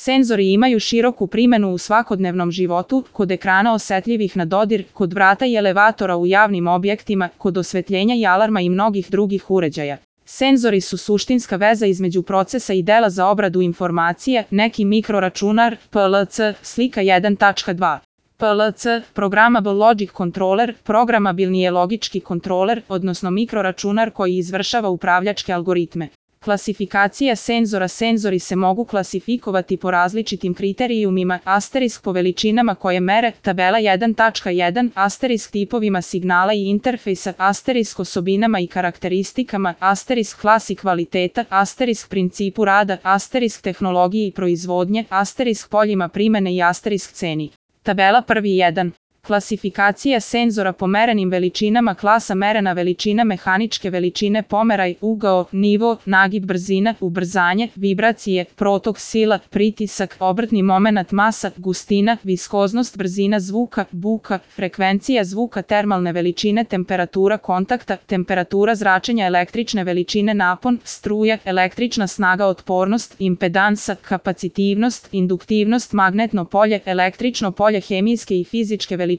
Senzori imaju široku primenu u svakodnevnom životu, kod ekrana osetljivih na dodir, kod vrata i elevatora u javnim objektima, kod osvetljenja i alarma i mnogih drugih uređaja. Senzori su suštinska veza između procesa i dela za obradu informacije, neki mikroračunar, PLC, slika 1.2. PLC, Programmable Logic Controller, programabilni je logički kontroler, odnosno mikroračunar koji izvršava upravljačke algoritme. Klasifikacija senzora. Senzori se mogu klasifikovati po različitim kriterijumima, asterisk po veličinama koje mere, tabela 1.1, asterisk tipovima signala i interfejsa, asterisk osobinama i karakteristikama, asterisk klasi kvaliteta, asterisk principu rada, asterisk tehnologiji i proizvodnje, asterisk poljima primene i asterisk ceni. Tabela 1.1. Klasifikacija senzora po merenim veličinama. Klasa merena veličina, mehaničke veličine, pomeraj, ugao, nivo, nagib, brzina, ubrzanje, vibracije, protok, sila, pritisak, obrtni momenat, masa, gustina, viskoznost, brzina zvuka, buka, frekvencija zvuka, termalne veličine, temperatura kontakta, temperatura zračenja, električne veličine, napon, struje, električna snaga, otpornost, impedansa, kapacitivnost, induktivnost, magnetno polje, električno polje, hemijske i fizičke veličine,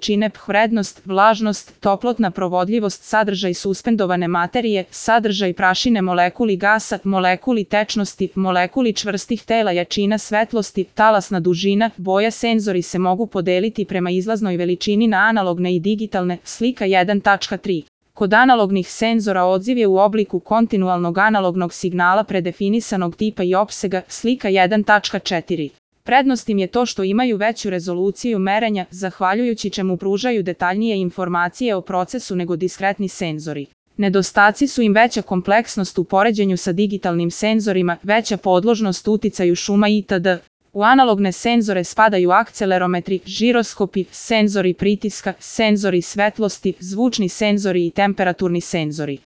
vrednost, vlažnost, toplotna provodljivost, sadržaj suspendovane materije, sadržaj prašine, molekuli gasa, molekuli tečnosti, molekuli čvrstih tela, jačina svetlosti, talasna dužina, boja. Senzori se mogu podeliti prema izlaznoj veličini na analogne i digitalne, slika 1.3. Kod analognih senzora odziv je u obliku kontinualnog analognog signala predefinisanog tipa i opsega, slika 1.4. Prednost im je to što imaju veću rezoluciju merenja, zahvaljujući čemu pružaju detaljnije informacije o procesu nego diskretni senzori. Nedostaci su im veća kompleksnost u poređenju sa digitalnim senzorima, veća podložnost uticaju šuma itd. U analogne senzore spadaju akcelerometri, žiroskopi, senzori pritiska, senzori svetlosti, zvučni senzori i temperaturni senzori.